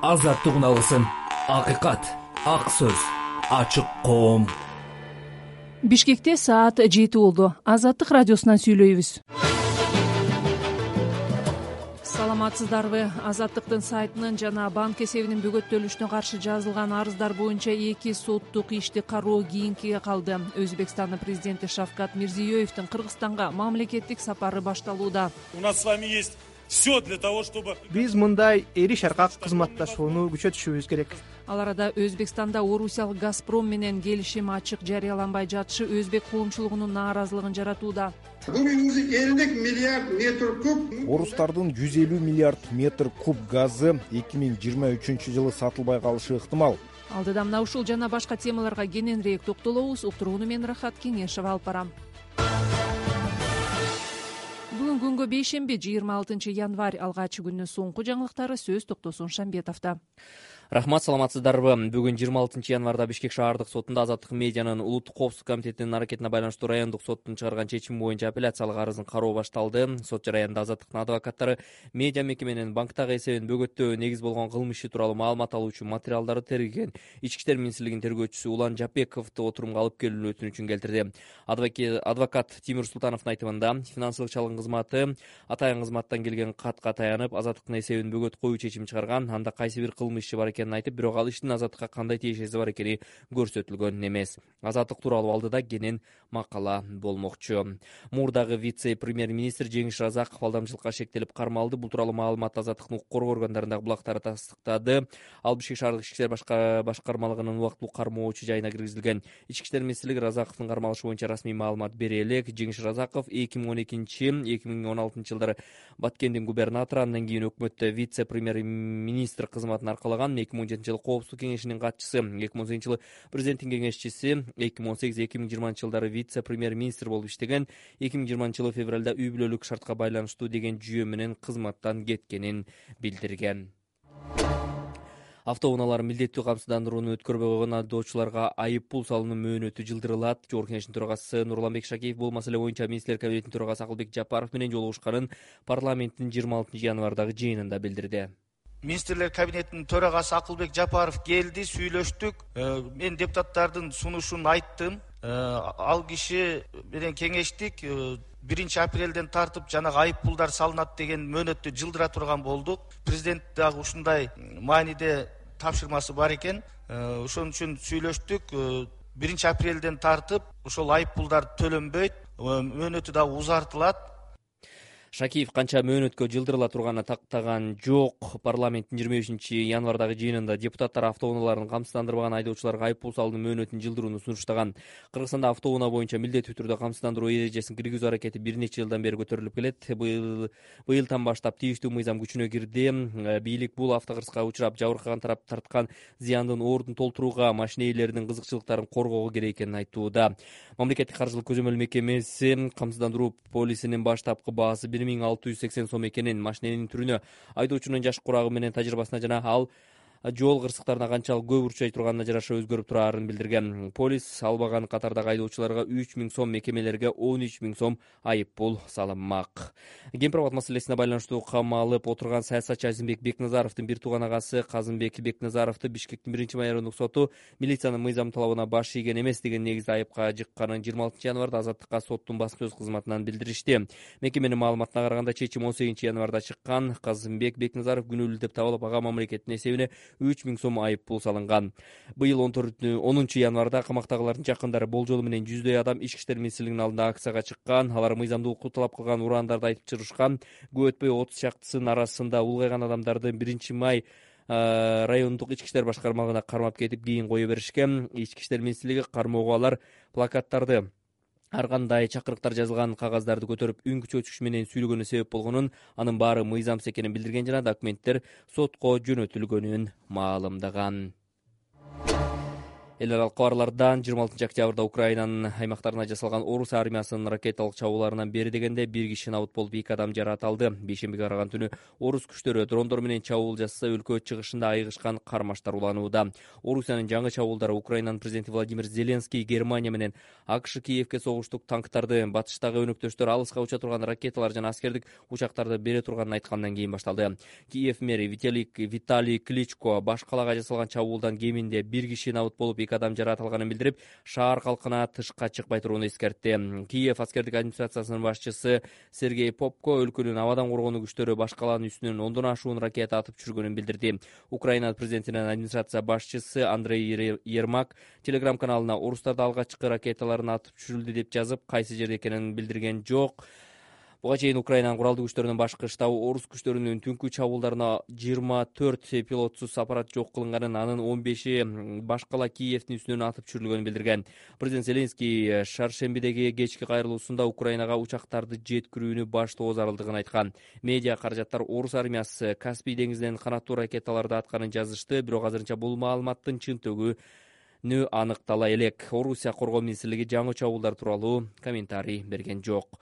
азаттык уналысын, акыйкат, ак сөз, ачык коом. Бишкекте саат 7 болду. Азаттык радиосунан сүйлөйбүз. Саламатсыздарбы? Азаттыктын сайтынын жана банк эсебинин бөгөттөлүшүнө каршы жазылган арыздар боюнча 2 соттук ишти кароо кийинкиге калды. Өзбекстандын президенти Шавкат Мирзиёевдин Кыргызстанга мамлекеттик сапары башталууда. У нас с вами есть все для того, чтобы Биз мындай эри шаркак кызматташууну күчөтүшүбүз керек. Ал арада Өзбекстанда Орусиялык Газпром менен келишим ачык жарыяланбай жатышы өзбек коомчулугунун нааразылыгын жаратууда. Bugün 50 milyar metr kub. Орустардын 150 миллиард метр куб газы 2023-жылы сатылбай калышы ыктымал. Алдыда мына ушул жана башка темаларга кененирээк токтолобуз. Уктурууну мен Рахат Кеңешева алып барам. Бүгүн күнгө бейшемби 26 январь алгач күндүн соңку жаңылыктары сөз токтосун Шамбетовдо. Рахмат, саламатсыздарбы? Бүгүн 26 январда Бишкек шаардык сотунда Азаттык медианын улуттук коопсуздук комитетинин аракетине байланыштуу райондук соттун чыгарган чечими боюнча апелляциялык арыздын кароо башталды. Сот жараянда Азаттыктын адвокаттары медиа мекеменин банктагы эсебин бөгөттөө негиз болгон кылмыш иши тууралуу маалымат алуу үчүн материалдарды тергеген Ички иштер министрлигинин тергөөчүсү Улан Жапековду отурумга алып келүүнү өтүнүчүн келтирди. Адвокат Тимир Султановдун айтымында, финансылык чалгын кызматы атайын кызматтан келген катка таянып, Азаттыктын эсебин бөгөт коюу чечими чыгарган. Анда кайсы бир кылмыш иши бар экенин айтып, бирок ал иштин Азаттыкка кандай тиешеси бар экени көрсөтүлгөн эмес. Азаттык тууралуу алдыда кенен макала болмокчу. Мурдагы вице-премьер-министр Жеңиш Разаков алдамчылыкка шектелип кармалды. Бул тууралуу маалыматты Азаттыктын укук коргоо органдарындагы булактары тастыктады. Ал Бишкек шаардык ички иштер башкармалыгынын убактылуу кармоочу жайына киргизилген. Ички иштер министрлиги Разаковдун кармалышы боюнча расмий маалымат бере элек. Жеңиш Разаков 2012-2016 жылдары Баткендин губернатору, андан кийин өкмөттө вице-премьер-министр кызматын аркалаган. 2017 жылы коопсуздук кеңешинин катчысы, 2018 жылы президенттин кеңешчиси, 2018-2020 жылдары вице-премьер-министр болуп иштеген. 2020 жылы февралда үй бүлөлүк шартка байланыштуу деген жүйө менен кызматтан кеткенин билдирген. Автоунаалар милдеттүү камсыздандырууну өткөрбөй койгон айдоочуларга айып пул салуунун мөөнөтү жылдырылат. Жогорку Кеңештин төрагасы Нурланбек Шакеев бул маселе боюнча министрлер кабинетинин төрагасы Акылбек Жапаров менен жолугушканын парламенттин 26 январдагы жыйынында билдирди. Министрлер кабинетинин төрагасы Акылбек Жапаров келди, сүйлөштүк. Мен депутаттардын сунушун айттым. Ал киши менен кеңештик. 1 апрелден тартып жанагы айып пулдар салынат деген мөөнөттү жылдыра турган болдук. Президент дагы ушундай мааниде тапшырмасы бар экен. Ошон үчүн сүйлөштүк. 1 апрелден тартып ошол айып пулдар төлөнбөйт, мөөнөтү дагы узартылат. Шакиев канча мөөнөткө жылдырыла турганын тактаган жок. Парламенттин 25 январдагы жыйынында депутаттар автоунааларын камсыздандырбаган айдоочуларга айып пул салуунун мөөнөтүн жылдырууну сунуштаган. Кыргызстанда автоунаа боюнча милдеттүү түрдө камсыздандыруу эрежесин киргизүү аракети бир нече жылдан бери көтөрүлүп келет. Быйылдан баштап тийиштүү мыйзам күчүнө кирди. Бийлик бул автокырсыкка учурап жабыркаган тарап тарткан зыяндын ордун толтурууга, машина ээлеринин кызыкчылыктарын коргоого керек экенин айтууда. Мамлекеттик каржылык көзөмөл мекемеси камсыздандыруу полисинин баштапкы баасы 1680 сом экенин, машиненин түрүнө, айдоочунун жаш курагы менен тажрыйбасына жана ал жол кырсыктарына канчалык көп урчай турганына жараша өзгөрүп турарын билдирген. Полис албаган катардагы айдоочуларга 3000 сом, мекемелерге 13000 сом айып пул салынмак. Кемпир абад маселесине байланыштуу камалып отурган саясатчы Азимбек Бекназаровдун бир тууган агасы Казымбек Бекназаровду Бишкектин 1 райондук соту милициянын мыйзам талабына баш ийген эмес деген негизде айыпка жыкканын 26 январда Азаттыкка соттун басма сөз кызматынан билдиришти. Мекеменин маалыматына караганда чечим 18 январда чыккан. Казымбек Бекназаров күнөөлүү деп табылып, ага мамлекеттин эсебине 3000 сом айып пул салынган. Быйыл 10 январда камактагылардын жакындары болжолу менен 100дөй адам Ички иштер министрлигинин алдында акцияга чыккан. Алар мыйзамдуулукку талап кылган ураандарды айтып чыгышкан. Көп өтпөй 30 чактысынын арасында улгайган адамдарды 1 май райондук ички иштер башкармалыгына кармап кетип, кийин кое беришкен. Ички иштер министрлиги кармоого алар плакаттарды, ар кандай чакырыктар жазылган кагаздарды көтөрүп үн күчөтүш менен сүйлөгөнү себеп болгонун, анын баары мыйзамсыз экенин билдирген жана документтер сотко жөнөтүлгөнүн маалымдаган. Эл аралык кабарлардан 26 октябрда Украинанын аймактарына жасалган орус армиясынын ракеталык чабууларынан бери дегенде бир киши набыт болуп 2 адам жаракат алды. Бейшембиге караган түнү орус күчтөрү дрондор менен чабуул жасаса, өлкө чыгышында айыгышкан кармаштар уланууда. Орусиянын жаңы чабуулдары Украинанын президенти Владимир Зеленский Германия менен АКШ Киевке согуштук танктарды, батыштагы өнөктөштөр алыска уча турган ракеталар жана аскердик учактарды бере турганын айткандан кийин башталды. Киев мэри Виталий Кличко баш калаага жасалган чабуулдан кеминде бир киши набыт болуп 2 адам жаракат алганын билдирип, шаар калкына тышка чыкпай турууну эскертти. Киев аскердик администрациясынын башчысы Сергей Попко өлкөнүн абадан коргонуу күчтөрү баш калаанын үстүнөн 10дон ашуун ракета атып түшүргөнүн билдирди. Украина президентинин администрация башчысы Андрей Ермак Telegram каналына орустарда алгачкы ракеталарын атып түшүрүлдү деп жазып, кайсы жерде экенин билдирген жок. Буга чейин Украинанын куралдуу күчтөрүнүн башкы штабы орус күчтөрүнүн түнкү чабуулдарына 24 пилотсуз аппарат жок кылынганын, анын 15 баш кала Киевдин үстүнөн атып түшүрүлгөнүн билдирген. Президент Зеленский шаршембидеги кечки кайрылуусунда Украинага учактарды жеткирүүнү баштоо зарылдыгын айткан. Медиа каражаттар орус армиясы Каспий деңизинен канаттуу ракеталарды атканын жазышты, бирок азырынча бул маалыматтын чынтыгы аныктала элек. Орусия коргоо министрлиги жаңы чабуулдар тууралуу комментарий берген жок.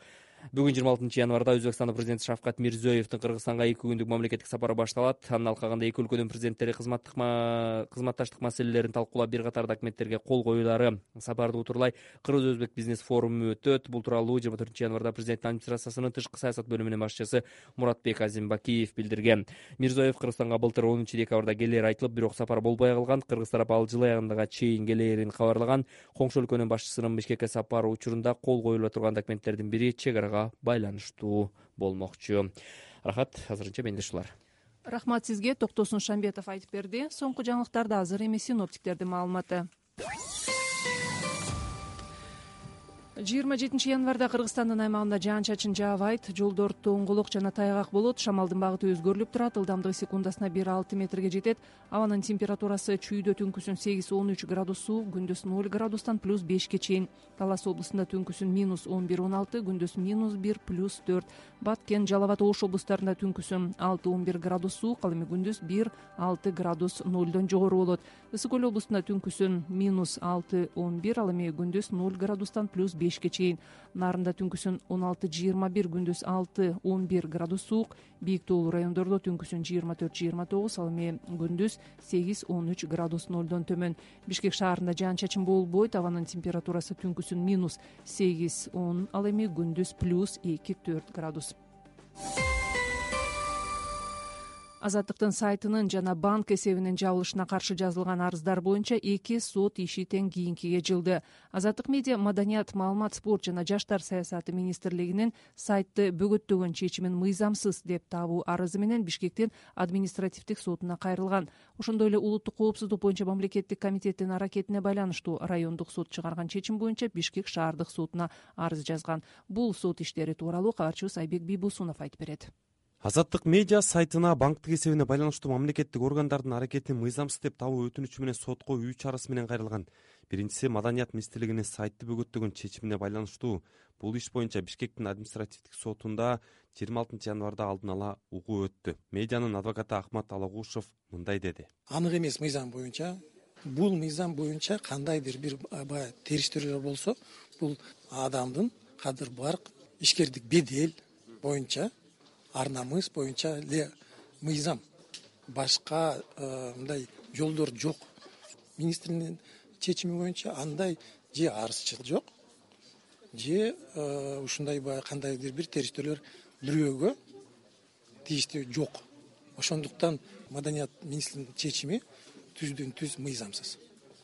Бүгүн 26 январда Өзбекстандын президенти Шавкат Мирзиёевдин Кыргызстанга 2 күндүк мамлекеттик сапары башталат. Анын алкагында эки өлкөнүн президенттери кызматташтык маселелерин талкуулап, бир катар документтерге кол коюлары. Сапарды утурлай Кыргыз-Өзбек бизнес форуму өтөт. Бул тууралуу 24 январда президенттин администрациясынын тышкы саясат бөлүмүнүн башчысы Муратбек Азимбакиев билдирген. Мирзиёев Кыргызстанга былтыр 10 декабрда келери айтылып, бирок сапар болбой калган. Кыргыз тарап ал жыл аягына чейин келерин кабарлаган. Коңшу өлкөнүн башчысынын Бишкекке сапары учурунда кол коюла турган документтердин бири чек арага байланыштуу болмокчу. Рахат, азырынча менде ушулар. Рахмат сизге. Токтосун Шамбетов айтып берди. Соңку жаңылыктарды азыр эми синоптиктердин маалыматы. 27 январда Кыргызстандын аймагында жаан-чачын жаабайт, жолдор тоңголок жана тайгак болот. Шамалдын багыты өзгөрүлүп турат, ылдамдыгы секундасына 1-6 метрге жетет. Абанын температурасы чүйдө түнкүсүн 8-13 градус суук, күндүз 0 градустан +5ке чейин. Талас облусунда түнкүсүн -11-16, күндүз -1 +4. Баткен, Жалал абад, Ош облустарында түнкүсүн 6-11 градус суук, ал эми күндүз 1-6 градус 0дон жогору болот. Ысык көл облусунда түнкүсүн -6-11, ал эми күндүз 0 градустан +5ке чейин. Нарында түнкүсүн 16-21, күндүз 6-11 градус суук. Бийик тоолуу райондордо түнкүсүн 24-29, ал эми күндүз 8-13 градус 0дон төмөн. Бишкек шаарында жаан-чачын болбойт, абанын температурасы түнкүсүн -8-10, ал эми күндүз +2-4 градус. Азаттыктын сайтынын жана банк эсебинин жабылышына каршы жазылган арыздар боюнча 2 сот иши тең кийинкиге жылды. Азаттык медиа, маданият, маалымат, спорт жана жаштар саясаты министрлигинин сайтты бөгөттөгөн чечимин мыйзамсыз деп табуу арызы менен Бишкектин административдик сотуна кайрылган. Ошондой эле улуттук коопсуздук боюнча мамлекеттик комитеттин аракетине байланыштуу райондук сот чыгарган чечим боюнча Бишкек шаардык сотуна арыз жазган. Бул сот иштери тууралуу кабарчыбыз Айбек Бийбусунов айтып берет. Азаттык медиа сайтына банктык эсебине байланыштуу мамлекеттик органдардын аракетин мыйзамсыз деп табуу өтүнүчү менен сотко 3 арыз менен кайрылган. Биринчиси маданият министрлигинин сайтты бөгөттөгөн чечимине байланыштуу. Бул иш боюнча Бишкектин административдик сотунда 26 январда алдын ала угуу өттү. Медианын адвокаты Ахмат Алагушев мындай деди. Анык эмес мыйзам боюнча, бул мыйзам боюнча кандайдыр бир териштирүүлөр болсо, бул адамдын кадыр барк, ишкердик бедел боюнча, ар намыс боюнча эле мыйзам. Башка мындай жолдор жок. Министрдин чечими боюнча андай же арызчыл жок, же ушундай кандайдыр бир териштирүүлөр бирөөгө тийиштүү жок. Ошондуктан маданият министринин чечими түздөн-түз мыйзамсыз.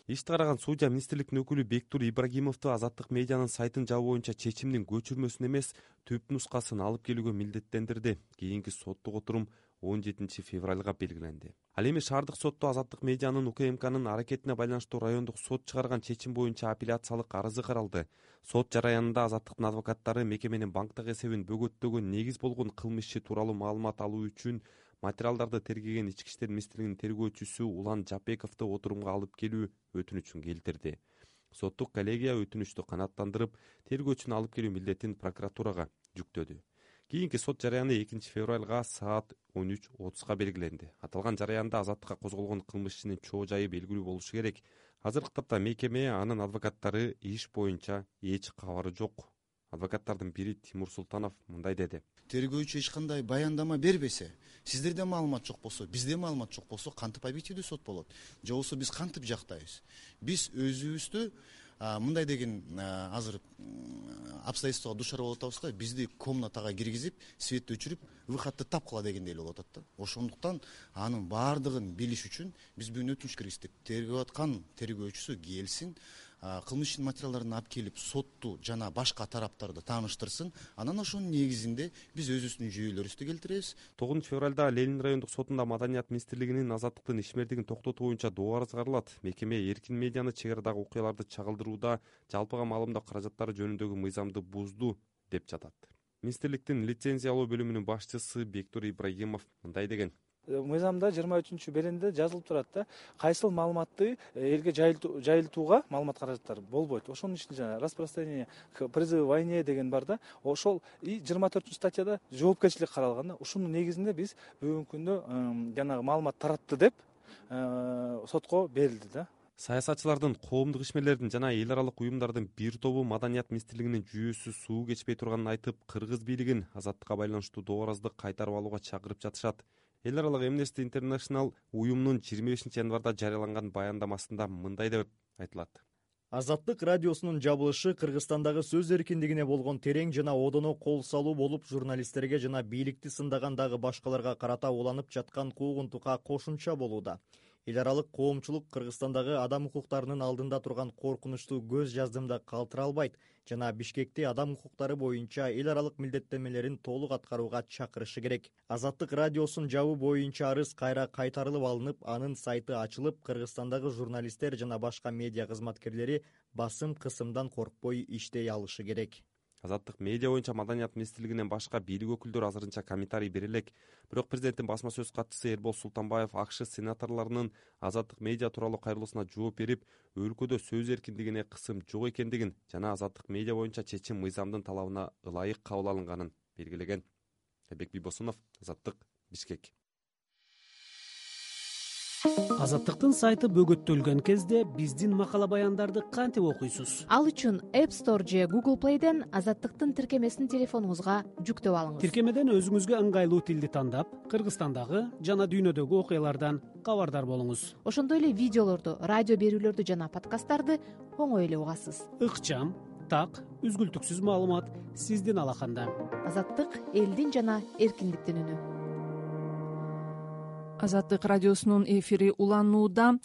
Ишти караган судья министрликтин өкүлү Бектур Ибрагимовду азаттык медианын сайтын жабуу боюнча чечимдин көчүрмөсүн эмес, түп нускасын алып келүүгө милдеттендирди. Кийинки соттук отурум 17 февралга белгиленди. Ал эми шаардык сотто азаттык медианын УКМКнын аракетине байланыштуу райондук сот чыгарган чечим боюнча апелляциялык арызы каралды. Сот жараянында азаттыктын адвокаттары мекеменин банктык эсебин бөгөттөгөн негиз болгон кылмыш иши тууралуу маалымат алуу үчүн материалдарды тергеген Ички иштер министрлигинин тергөөчүсү Улан Жапековду отурумга алып келүү өтүнүчүн келтирди. Соттук коллегия өтүнүчтү канааттандырып, тергөөчүнү алып келүү милдетин прокуратурага жүктөдү. Кийинки сот жараяны 2 февралга саат 13:30 белгиленди. Аталган жараянда азаттыкка козголгон кылмыш ишинин чоо жайы белгилүү болушу керек. Азыркы тапта мекеме, анын адвокаттары иш боюнча эч кабары жок. Адвокаттардын бири Тимур Султанов мындай деди. Тергөөчү эч кандай баяндама бербесе, сиздерде маалымат жок болсо, бизде маалымат жок болсо, кантип объективдүү сот болот? Же болбосо биз кантип жактайбыз? Биз өзүбүздү мындай деген азыр обстоятельствого душар болуп атабыз да, бизди комнатага киргизип, светти өчүрүп, выходду тапкыла дегендей болуп атат да. Ошондуктан анын баардыгын билиш үчүн биз бүгүн өтүнүч киргиздик. Тергөө аткан тергөөчүсү келсин, кылмыш ишин материалдарын алып келип, сотту жана башка тараптарды тааныштырсын. Анан ошонун негизинде биз өзүбүздүн жүйөлөрүбүздү келтиребиз. 9 февралда Ленин райондук сотунда Маданият министрлигинин азаттыктын ишмердигин токтотуу боюнча доо арыз каралат. Мекеме эркин медианы чек арадагы окуяларды чагылдырууда жалпыга маалымдоо каражаттары жөнүндөгү мыйзамды бузду деп жатат. Министрликтин лицензиялоо бөлүмүнүн башчысы Бектур Ибрагимов мындай деген. Мыйзамда 23 беренде жазылып турат да, кайсыл маалыматты элге жайылтууга маалымат каражаттары болбойт. Ошонун ичинде распространение к призыву к войне деген бар да. Ошол 24 статьяда жоопкерчилик каралган да. Ушунун негизинде биз бүгүнкү күндө жанагы маалымат таратты деп сотко берилди да. Саясатчылардын, коомдук ишмерлердин жана эл аралык уюмдардын бир тобу Маданият министрлигинин жүйөсү суу кечпей турганын айтып, кыргыз бийлигин азаттыкка байланыштуу доо аразды кайтарып алууга чакырып жатышат. Эл аралык Amnesty International уюмунун 25 январда жарыяланган баяндамасында мындай деп айтылат. Азаттык радиосунун жабылышы Кыргызстандагы сөз эркиндигине болгон терең жана одоно кол салуу болуп, журналисттерге жана бийликти сындагандагы башкаларга карата уланып жаткан куугунтукка кошумча болууда. Эл аралык коомчулук Кыргызстандагы адам укуктарынын алдында турган коркунучтуу көз жаздымда калтыра албайт жана Бишкекти адам укуктары боюнча эл аралык милдеттенмелерин толук аткарууга чакырышы керек. Азаттык радиосун жабуу боюнча арыз кайра кайтарылып алынып, анын сайты ачылып, Кыргызстандагы журналисттер жана башка медиа кызматкерлери басым кысымдан коркпой иштей алышы керек. Азаттык медиа боюнча Маданият министрлигинен башка бийлик өкүлдөрү азырынча комментарий бере элек. Бирок президенттин басма сөз катчысы Эрбол Султанбаев АКШ сенаторлорунун Азаттык медиа тууралуу кайрылуусуна жооп берип, өлкөдө сөз эркиндигине кысым жок экендигин жана Азаттык медиа боюнча чечим мыйзамдын талабына ылайык кабыл алынганын белгилеген. Айбек Бибосунов, Азаттык, Бишкек. Азаттыктын сайты бөгөттөлгөн кезде биздин макала баяндарды кантип окуйсуз? Ал үчүн App Store же Google Play'ден Азаттыктын тиркемесин телефонуңузга жүктөп алыңыз. Тиркемеден өзүңүзгө ыңгайлуу тилди тандап, Кыргызстандагы жана дүйнөдөгү окуялардан кабардар болуңуз. Ошондой эле видеолорду, радио берүүлөрдү жана подкасттарды оңой эле угасыз. Ыкчам, так, үзгүлтүксүз маалымат сиздин алаканда. Азаттык элдин жана эркиндиктин үнү. Азаттык радиосунун эфири уланууда.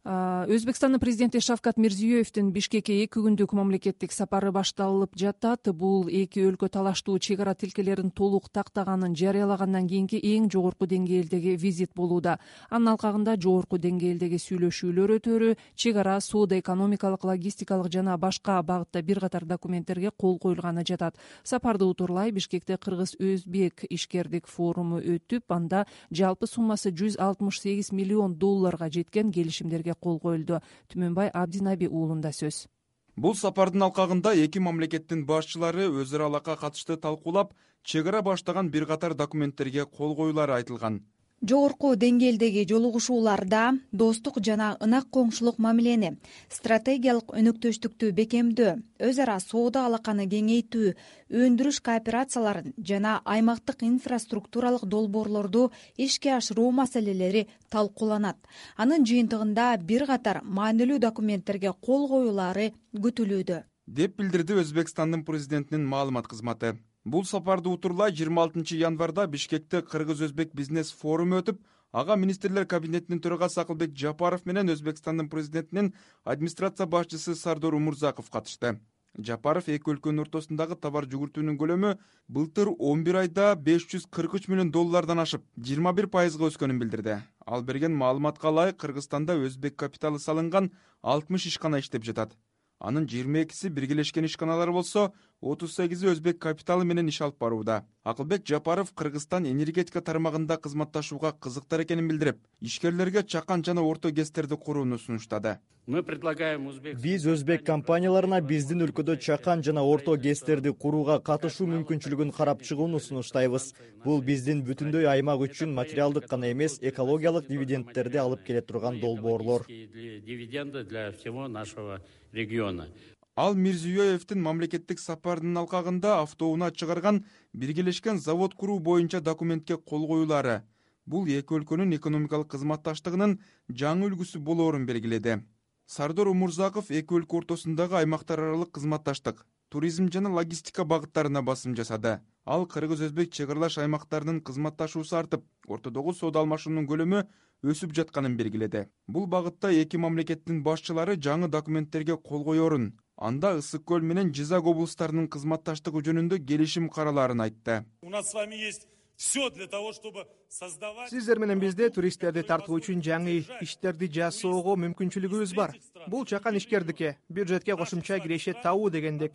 Өзбекстандын президенти Шавкат Мирзиёевдин Бишкекке 2 күндүк мамлекеттик сапары башталып жатат. Бул эки өлкө талаштуу чек ара тилкелерин толук тактаганын жарыялагандан кийинки эң жогорку деңгээлдеги визит болууда. Анын алкагында жогорку деңгээлдеги сүйлөшүүлөр өтөрү, чек ара, соода, экономикалык, логистикалык жана башка багытта бир катар документтерге кол коюлганы жатат. Сапарды утурлай Бишкекте кыргыз-өзбек ишкердик форуму өтүп, анда жалпы суммасы $168 миллион жеткен келишимдерге кол коюлду. Түмөнбай Абдинаби уулунда сөз. Бул сапардын алкагында эки мамлекеттин башчылары өз ара алакка катышты талкуулап, чек ара баштаган бир катар документтерге кол коюулары айтылган. Жогорку деңгээлдеги жолугушууларда достук жана ынак коңшулук мамилени, стратегиялык өнөктөштүктү бекемдөө, өз ара соода алаканы кеңейтүү, өндүрүш кооперацияларын жана аймактык инфраструктуралык долбоорлорду ишке ашыруу маселелери талкууланат. Анын жыйынтыгында бир катар маанилүү документтерге кол коюулары күтүлүүдө, деп билдирди Өзбекстандын президентинин маалымат кызматы. Бул сапарды утурлай 26 январда Бишкекте Кыргыз-Өзбек бизнес форуму өтүп, ага министрлер кабинетинин төрагасы Акылбек Жапаров менен Өзбекстандын президентинин администрация башчысы Сардор Умурзаков катышты. Жапаров эки өлкөнүн ортосундагы товар жүгүртүүнүн көлөмү былтыр 11 айда $543 миллион ашып, 21% өскөнүн билдирди. Ал берген маалыматка ылайык Кыргызстанда өзбек капиталы салынган 60 ишкана иштеп жатат. Анын 22 биргелешкен ишканалар болсо, 38 өзбек капиталы менен иш алып барууда. Акылбек Жапаров Кыргызстан энергетика тармагында кызматташууга кызыктар экенин билдирип, ишкерлерге чакан жана орто ГЭСтерди курууну сунуштады. Биз өзбек компанияларына биздин өлкөдө чакан жана орто ГЭСтерди курууга катышуу мүмкүнчүлүгүн карап чыгууну сунуштайбыз. Бул биздин бүтүндөй аймак үчүн материалдык гана эмес, экологиялык дивидендтерди алып келе турган долбоорлор. Дивиденды для всего нашего региона. Ал Мирзиёевдин мамлекеттик сапарынын алкагында автоунаа чыгарган биргелешкен завод куруу боюнча документке кол коюлары. Бул эки өлкөнүн экономикалык кызматташтыгынын жаңы үлгүсү болоорун белгиледи. Сардор Умурзаков эки өлкө ортосундагы аймактар аралык кызматташтык, туризм жана логистика багыттарына басым жасады. Ал кыргыз-өзбек чек аралаш аймактарынын кызматташуусу артып, ортодогу соода алмашуунун көлөмү өсүп жатканын белгиледи. Бул багытта эки мамлекеттин башчылары жаңы документтерге кол коерун, анда Ысык көл менен Жизак облустарынын кызматташтыгы жөнүндө келишим каралаарын айтты. У нас с вами есть все для того, чтобы создавать... Сиздер менен бизде туристтерди тартуу үчүн жаңы иштерди жасоого мүмкүнчүлүгүбүз бар. Бул чакан ишкердикке, бюджетке кошумча кирешет табуу дегендик.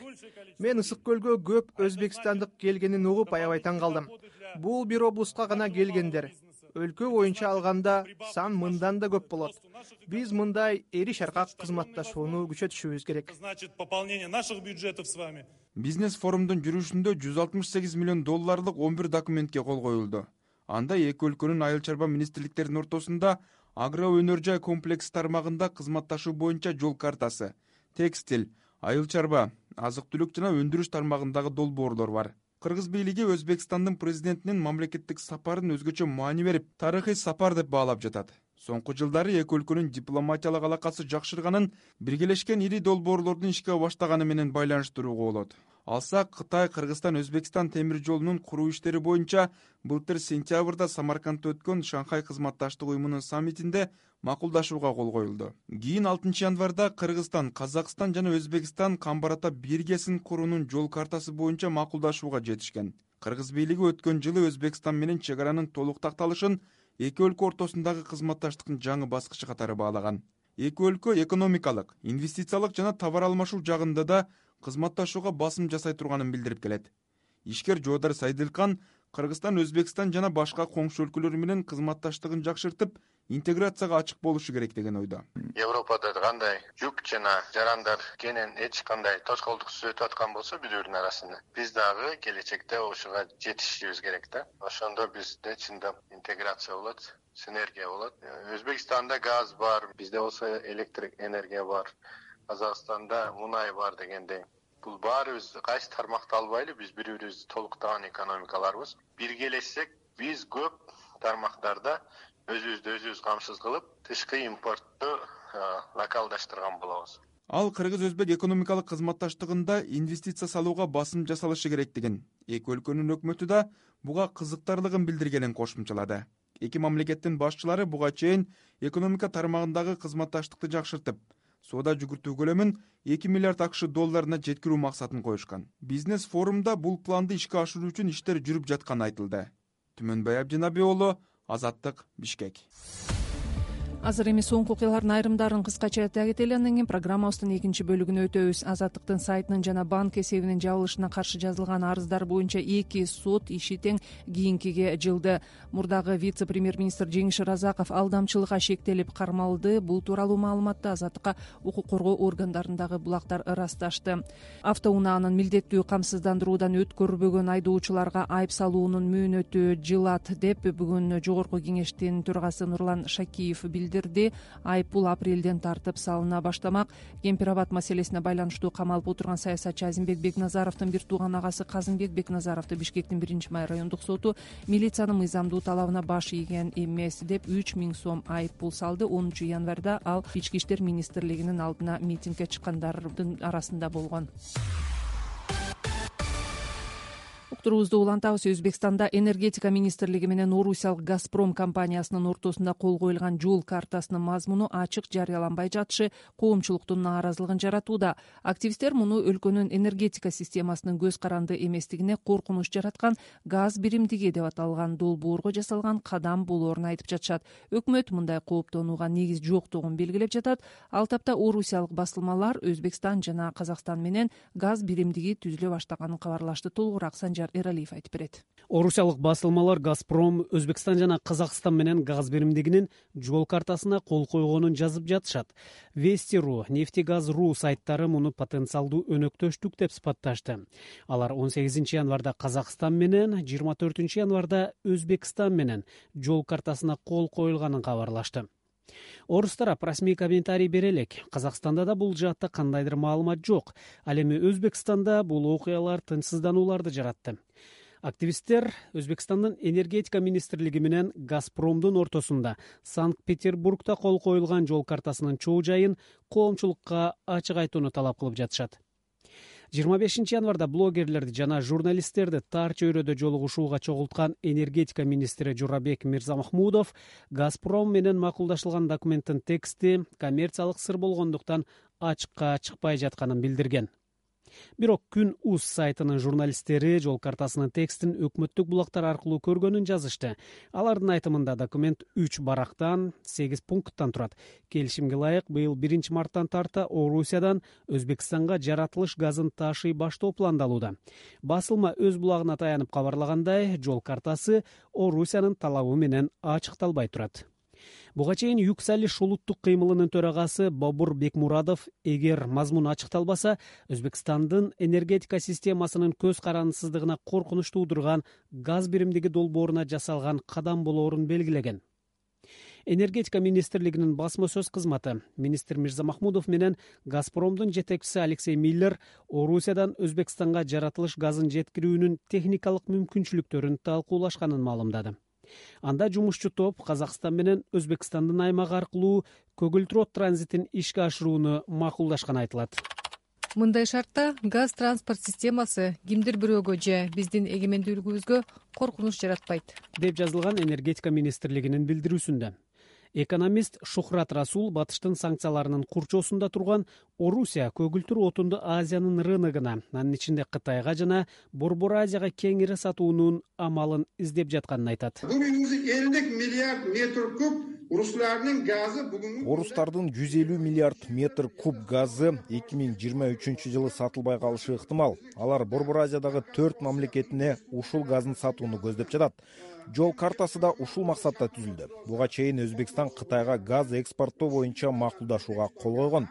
Мен Ысык көлгө көп өзбекстандык келгенин угуп аябай таң калдым. Бул бир облустка гана келгендер. Өлкө боюнча алганда сан мындан да көп болот. Биз мындай эри шаркак кызматташууну күчөтүшүбүз керек. Значит, пополнение наших бюджетов с вами. Бизнес форумдун жүрүшүндө 168 миллион долларлык 11 документке кол коюлду. Анда эки өлкөнүн айыл чарба министрликтеринин ортосунда агро өнөр жай комплекс тармагында кызматташуу боюнча жол картасы, текстиль, айыл чарба, азык түлүк жана өндүрүш тармагындагы долбоорлор бар. Кыргыз бийлиги Өзбекстандын президентинин мамлекеттик сапарын өзгөчө маани берип, тарыхый сапар деп баалап жатат. Соңку жылдары эки өлкөнүн дипломатиялык алакасы жакшырганын биргелешкен ири долбоорлордун ишке баштаганы менен байланыштырууга болот. Алсак, Кытай, Кыргызстан, Өзбекстан темир жолунун куруу иштери боюнча былтыр сентябрда Самаркандда өткөн Шанхай кызматташтык уюмунун саммитинде макулдашууга кол коюлду. Кийин 6 январда Кыргызстан, Казакстан жана Өзбекстан Камбарата биргесин куруунун жол картасы боюнча макулдашууга жетишкен. Кыргыз бийлиги өткөн жылы Өзбекстан менен чек аранын толук такталышын эки өлкө ортосундагы кызматташтыктын жаңы баскычы катары баалаган. Эки өлкө экономикалык, инвестициялык жана товар алмашуу жагында да кызматташууга басым жасай турганын билдирип келет. Ишкер Жоодар Сайдылкан Кыргызстан, Өзбекстан жана башка коңшу өлкөлөр менен кызматташтыгын жакшыртып, интеграцияга ачык болушу керек деген ойдо. Европада кандай жүк жана жарандар кенен эч кандай тоскоолдуксуз өтүп аткан болсо биздин арасында, биз дагы келечекте ошого жетишибиз керек да. Ошондо бизде чындап интеграция болот, синергия болот. Өзбекстанда газ бар, бизде болсо электрик энергия бар. Казакстанда мунай бар дегендей. Бул баарыбыз кайсы тармакты албайлы, биз бири-бирибизди толуктаган экономикаларбыз. Биргелешсек, биз көп тармактарда өзүбүз камсыз кылып, тышкы импортту локалдаштырган болобуз. Ал кыргыз-өзбек экономикалык кызматташтыгында инвестиция салууга басым жасалышы керектигин, эки өлкөнүн өкмөтү да буга кызыктарлыгын билдиргенин кошумчалады. Эки мамлекеттин башчылары буга чейин экономика тармагындагы кызматташтыкты жакшыртып, соода жүгүртүү көлөмүн 2 миллиард АКШ долларына жеткирүү максатын коюшкан. Бизнес форумда бул планды ишке ашыруу үчүн иштер жүрүп жатканы айтылды. Түмөнбай Абдинабий уулу, Азаттык, Бишкек. Азыр эми соңку окуялардын айрымдарын кыскача айтып кетели, андан кийин программабыздын экинчи бөлүгүнө өтөбүз. Азаттыктын сайтынын жана банк эсебинин жабылышына каршы жазылган арыздар боюнча 2 сот иши тең кийинкиге жылды. Мурдагы вице-премьер-министр Жеңиш Разаков алдамчылыкка шектелип кармалды. Бул тууралуу маалыматты Азаттыкка укук коргоо органдарындагы булактар ырасташты. Автоунаанын милдеттүү камсыздандыруудан өткөрбөгөн айдоочуларга айып салуунун мөөнөтү жылат деп бүгүн Жогорку кеңештин төрагасы Нурлан Шакиев билдирди. Айып бул апрелден тартып салына баштамак. Кемпир абад маселесине байланыштуу камалып отурган саясатчы Азимбек Бекназаровдун бир тууган агасы Казымбек Бекназаровду Бишкектин 1-май райондук соту милициянын мыйзамдуу талабына баш ийген эмес деп 3000 сом айып пул салды. 10 январда ал Ички иштер министрлигинин алдына митингге чыккандардын арасында болгон. уктуруубузду улантабыз. Өзбекстанда энергетика министрлиги менен орусиялык Газпром компаниясынын ортосунда кол коюлган жол картасынын мазмуну ачык жарыяланбай жатышы коомчулуктун нааразылыгын жаратууда. Активисттер муну өлкөнүн энергетика системасынын көз каранды эместигине коркунуч жараткан газ биримдиги деп аталган долбоорго жасалган кадам болоорун айтып жатышат. Өкмөт мындай кооптонууга негиз жоктугун белгилеп жатат. Ал тапта орусиялык басылмалар Өзбекстан жана Казакстан менен газ биримдиги түзүлө баштаганын кабарлашты. Толугураак Санжар Эралиев айтып берет. Орусиялык басылмалар Газпром Өзбекстан жана Казакстан менен газ биримдигинин жол картасына кол койгонун жазып жатышат. Вести.ру, Нефтегаз.ру сайттары муну потенциалдуу өнөктөштүк деп сыпатташты. Алар 18 январда Казакстан менен, 24 январда Өзбекстан менен жол картасына кол коюлганын кабарлашты. Орус тарап расмий комментарий бере элек. Казакстанда да бул жаатта кандайдыр маалымат жок. Ал эми Өзбекстанда бул окуялар тынчсызданууларды жаратты. Активисттер Өзбекстандын энергетика министрлиги менен Газпромдун ортосунда Санкт-Петербургда кол коюлган жол картасынын чоо жайын коомчулукка ачык айтууну талап кылып жатышат. 25 январда блогерлерди жана журналисттерди тар чөйрөдө жолугушууга чогулткан энергетика министри Журабек Мирзамахмудов Газпром менен макулдашылган документтин тексти коммерциялык сыр болгондуктан ачыкка чыкпай жатканын билдирген. Бирок Күн УЗ сайтынын журналисттери жол картасынын текстин өкмөттүк булактар аркылуу көргөнүн жазышты. Алардын айтымында документ 3 барактан, 8 пункттан турат. Келишимге ылайык быйыл 1 марттан тарта Орусиядан Өзбекстанга жаратылыш газын ташый баштоо пландалууда. Басылма өз булагына таянып кабарлагандай, жол картасы Орусиянын талабы менен ачыкталбай турат. Буга чейин Юксалиш улуттук кыймылынын төрагасы Бобур Бекмурадов эгер мазмун ачыкталбаса, Өзбекстандын энергетика системасынын көз карандысыздыгына коркунуч туудурган газ биримдиги долбооруна жасалган кадам болоорун белгилеген. Энергетика министрлигинин басма сөз кызматы министр Мирзамахмудов менен Газпромдун жетекчиси Алексей Миллер Орусиядан Өзбекстанга жаратылыш газын жеткирүүнүн техникалык мүмкүнчүлүктөрүн талкуулашканын маалымдады. Анда жумушчу топ Казакстан менен Өзбекстандын аймагы аркылуу көгүлтүр от транзитин ишке ашырууну макулдашканы айтылат. Мындай шартта газ транспорт системасы кимдир бирөөгө же биздин эгемендүүлүгүбүзгө коркунуч жаратпайт, деп жазылган энергетика министрлигинин билдирүүсүндө. Экономист Шухрат Расул батыштын санкцияларынын курчоосунда турган Орусия көгүлтүр отунду Азиянын рыногуна, анын ичинде Кытайга жана Борбор Азияга кеңири сатуунун амалын издеп жатканын айтат. Бүгүнкү 50 миллиард метр куб руслардын газы бүгүнкү Орустардын 150 миллиард метр куб газы 2023 жылы сатылбай калышы ыктымал. Алар Борбор Азиядагы 4 мамлекетине ушул газын сатууну көздөп жатат. Жол картасы да ушул максатта түзүлдү. Буга чейин Өзбекстан Кытайга газ экспорттоо боюнча макулдашууга кол койгон.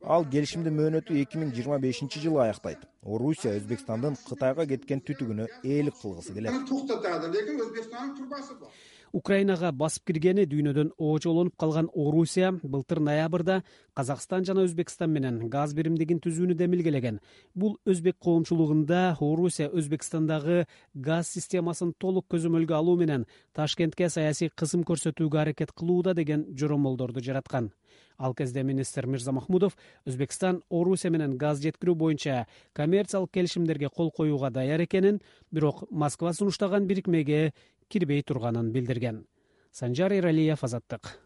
Ал келишимдин мөөнөтү 2025 жылы аяктайт. Орусия Өзбекстандын Кытайга кеткен түтүгүнө ээлик кылгысы келет. токтотот, лекин Өзбекстандын турбасы бар. Украинага басып киргени дүйнөдөн оочолонуп калган Орусия былтыр ноябрда Казакстан жана Өзбекстан менен газ биримдигин түзүүнү демилгелеген. Бул өзбек коомчулугунда Орусия Өзбекстандагы газ системасын толук көзөмөлгө алуу менен Ташкентке саясий кысым көрсөтүүгө аракет кылууда деген жоромолдорду жараткан. Ал кезде министр Мирзамахмудов Өзбекстан Орусия менен газ жеткирүү боюнча коммерциялык келишимдерге кол коюуга даяр экенин, бирок Москва сунуштаган бирикмеге кирбей турганын билдирген. Санжар Эралиев, Азаттык.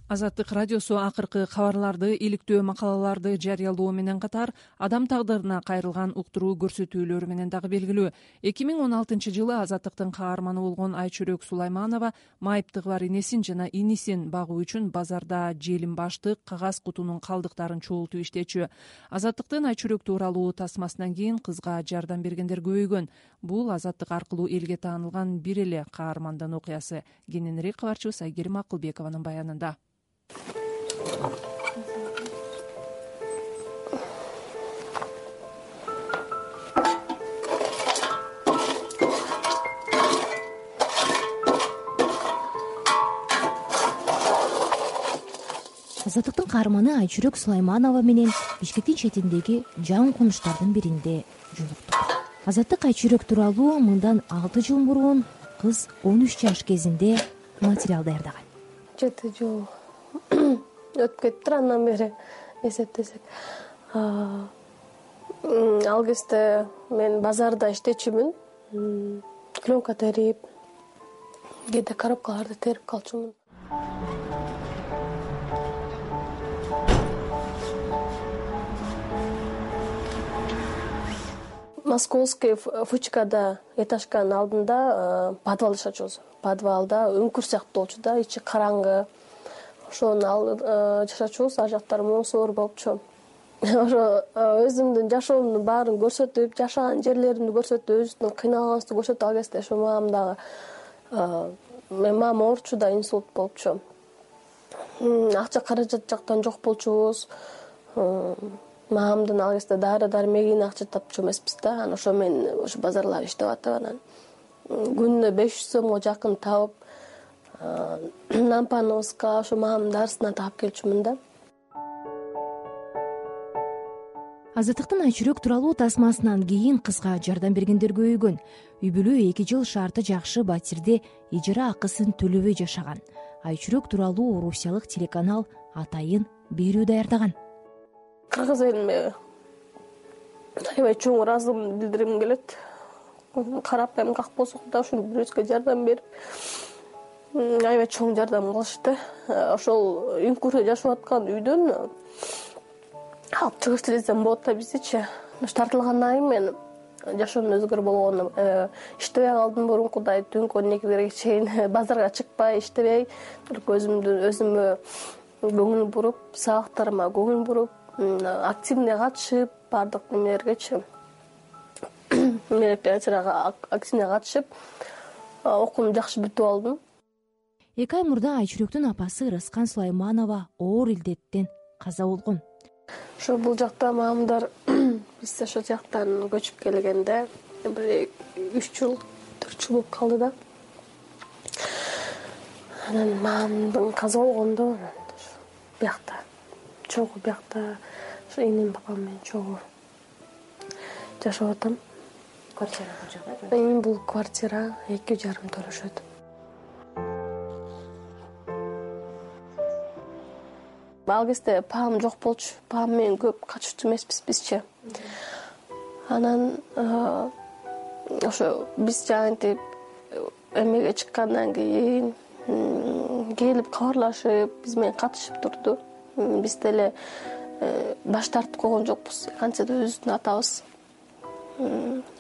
Азаттык радиосу акыркы кабарларды, иликтөө макалаларды жарыялоо менен катар адам тагдырына кайрылган уктуруу көрсөтүүлөрү менен дагы белгилүү. 2016 жылы Азаттыктын каарманы болгон Айчүрөк Сулайманова майыптыгы бар энесин жана инисин багуу үчүн базарда желим баштык, кагаз кутунун калдыктарын чогултуп иштечү. Азаттыктын Айчүрөк тууралуу тасмасынан кийин кызга жардам бергендер көбөйгөн. Бул Азаттык аркылуу элге таанылган бир эле каармандын окуясы. Кененирээк кабарчыбыз Айгерим Акылбекованын баянында. Азаттыктын каарманы Айчүрөк Сулайманова менен Бишкектин четиндеги жан конуштардын биринде жолуктук. Азаттык Айчүрөк тууралуу мындан 6 жыл мурун кыз 13 жаш кезинде материал даярдаган. 7 жыл өтүп кетиптир андан бери эсептесек. Ал кезде мен базарда иштечүмүн. Пленка терип, кээде коробкаларды терип калчумун. Московский фучкада этажканын алдында подвал жашачубуз. Подвалда үңкүр сыяктуу болчу да, ичи караңгы. Ошону жашачубуз, ар жактары мусор болчу. Ошо өзүмдүн жашоомдун баарын көрсөтүп, жашаган жерлеримди көрсөтүп, өзүмдүн кыйналганыбызды көрсөтүп, ал кезде ошо мамам дагы мамам оорчу да, инсульт болчу. Акча каражат жактан жок болчубуз. Мамамдын ал кезде дары дармегине акча тапчу эмеспиз да. Анан ошо мен ошо базарларда иштеп атып, анан күнүнө 500 сомго жакын табып, Нампановска ошо мамамдын дарысынан таап келчүмүн да. Азаттыктын Айчүрөк тууралуу тасмасынан кийин кызга жардам бергендер көбөйгөн. Үй бүлө 2 жыл шарты жакшы батирде ижара акысын төлөбөй жашаган. Айчүрөк тууралуу орусиялык телеканал атайын берүү даярдаган. Кыргыз элиме аябай чоң ыраазылыгымды билдиргим келет. Карапайым как болсо да ушул бирөөсүгө жардам берип, аябай чоң жардам кылышты. Ошол үңкүрдө жашап аткан үйдөн алып чыгыш десем болот да биздичи. Тартылгандан кийин мен жашоомдун өзгөрүү болгону иштебей калдым. Мурункудай түнкү 12-лерге чейин базарга чыкпай, иштебей, өзүмө көңүл буруп, сабактарыма көңүл буруп, активный катышып, баардык немелергечи. Мероприятияга активный катышып, окуумду жакшы бүтүп алдым. 2 ай мурда Айчүрөктүн апасы Ырыскан Сулайманова оор илдеттен каза болгон. Ошо бул жакта мамамдар биз ошол жактан көчүп келгенде бир 3 жыл, 4 жыл болуп калды да. Анан мамамдын каза болгондо биякта, чогуу биякта, ошо энем папам менен чогуу жашап атам. Квартира бул жакта? Бул квартира 2,5 төлөшөт. Ал кезде папам жок болчу. Папам менен көп каччу эмеспиз бизчи. Анан ошо биз жанагынтип эмеге чыккандан кийин келип кабарлашып, биз менен катышып турду. Биз деле баш тартып койгон жокпуз. Кантсе да өзүбүздүн атабыз.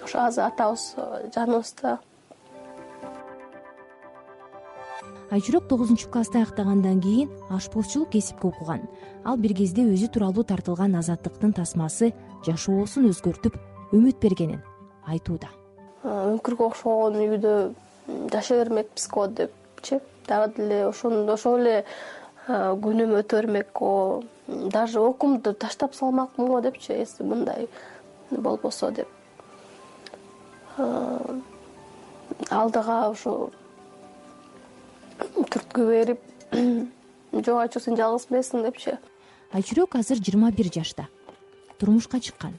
Ошо азыр атабыз жаныбызда. Айчүрөк 9-класста аяктагандан кийин ашпозчулук кесипке окуган. Ал бир кезде өзү тууралуу тартылган Азаттыктын тасмасы жашоосун өзгөртүп, үмүт бергенин айтууда. Үңкүргө окшогон үйдө жашай бермекпиз го депчи. Дагы деле ошол эле күнүм өтө бермек го. Даже окуумду таштап салмакмын го депчи, эси мындай болбосо деп. Алдыга ошо түрткү берип, жок Айчүрөк сен жалгыз эмессиң депчи. Айчүрөк азыр 21 жашта. Турмушка чыккан.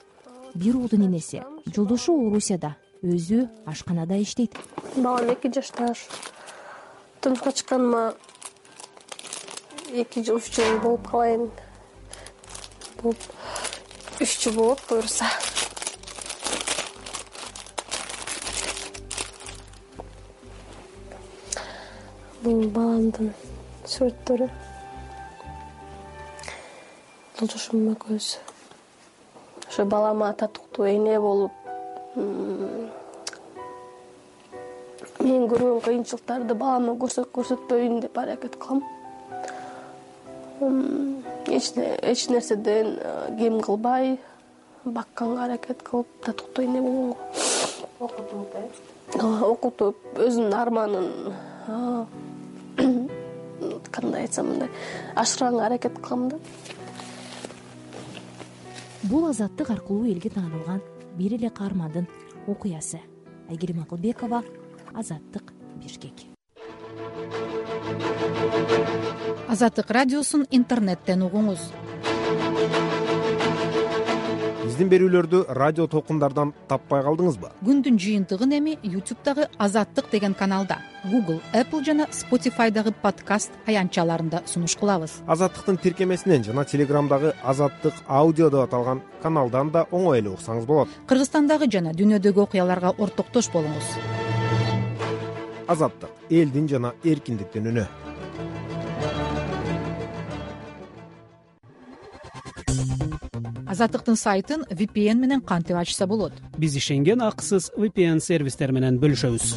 Бир уулдун энеси. Жолдошу Орусияда, өзү ашканада иштейт. Балам 2 жашта. Турмушка чыкканыма 2 жыл, 3 жыл болуп калайын. Бул 3 жыл болот буюрса. Бул баламдын сүрөттөрү. Жолдошум экөөбүз. Ошо балама татыктуу эне болуп, мен көргөн кыйынчылыктарды балама көрсөтпөйүн деп аракет кылам. Эч нерседен кем кылбай, бакканга аракет кылып, татыктуу эне болгонго. Окутуп, өзүмдүн арманын кандай айтсам мындай ашырганга аракет кылам да. Бул Азаттык аркылуу элге таанылган бир эле каармандын окуясы. Айгерим Акылбекова, Азаттык, Бишкек. Азаттык радиосун интернеттен угуңуз. биздин берүүлөрдү радио толкундардан таппай калдыңызбы? Күндүн жыйынтыгын эми YouTube'дагы Азаттык деген каналда, Google, Apple жана Spotify'дагы подкаст аянтчаларында сунуш кылабыз. Азаттыктын тиркемесинен жана Телеграмдагы Азаттык аудио деп аталган каналдан да оңой эле уксаңыз болот. Кыргызстандагы жана дүйнөдөгү окуяларга ортоктош болуңуз. Азаттык — элдин жана эркиндиктин үнү. Азаттыктын сайтын VPN менен кантип ачса болот? Биз ишенген акысыз VPN сервистер менен бөлүшөбүз.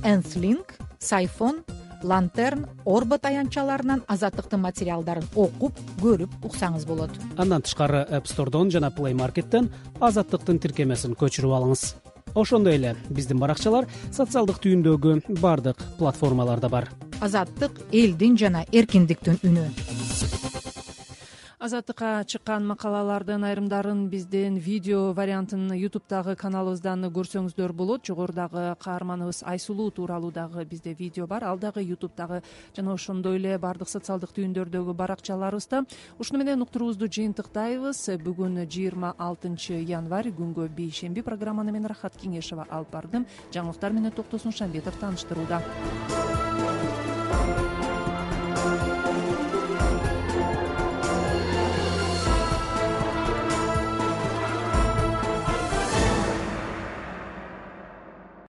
Nth-Link, Siphon, Lantern, Orbit аянтчаларынан Азаттыктын материалдарын окуп, көрүп уксаңыз болот. Андан тышкары App Store'дон жана Play Market'тен Азаттыктын тиркемесин көчүрүп алыңыз. Ошондой эле биздин баракчалар социалдык түйүндөгү бардык платформаларда бар. Азаттык — элдин жана эркиндиктин үнү. Азаттыкка чыккан макалалардын айрымдарын биздин видео вариантын YouTube'дагы каналыбыздан көрсөңүздөр болот. Жогорудагы каарманыбыз Айсулуу тууралуу дагы бизде видео бар. Ал дагы YouTube'дагы жана ошондой эле бардык социалдык түйүндөрдөгү баракчаларыбызда. Ушуну менен уктуруубузду жыйынтыктайбыз. Бүгүн 26 январь күнгө бейшемби. Программаны мен Рахат Кеңешова алып бардым. Жаңылыктар менен Токтосун Шамбетов тааныштырууда.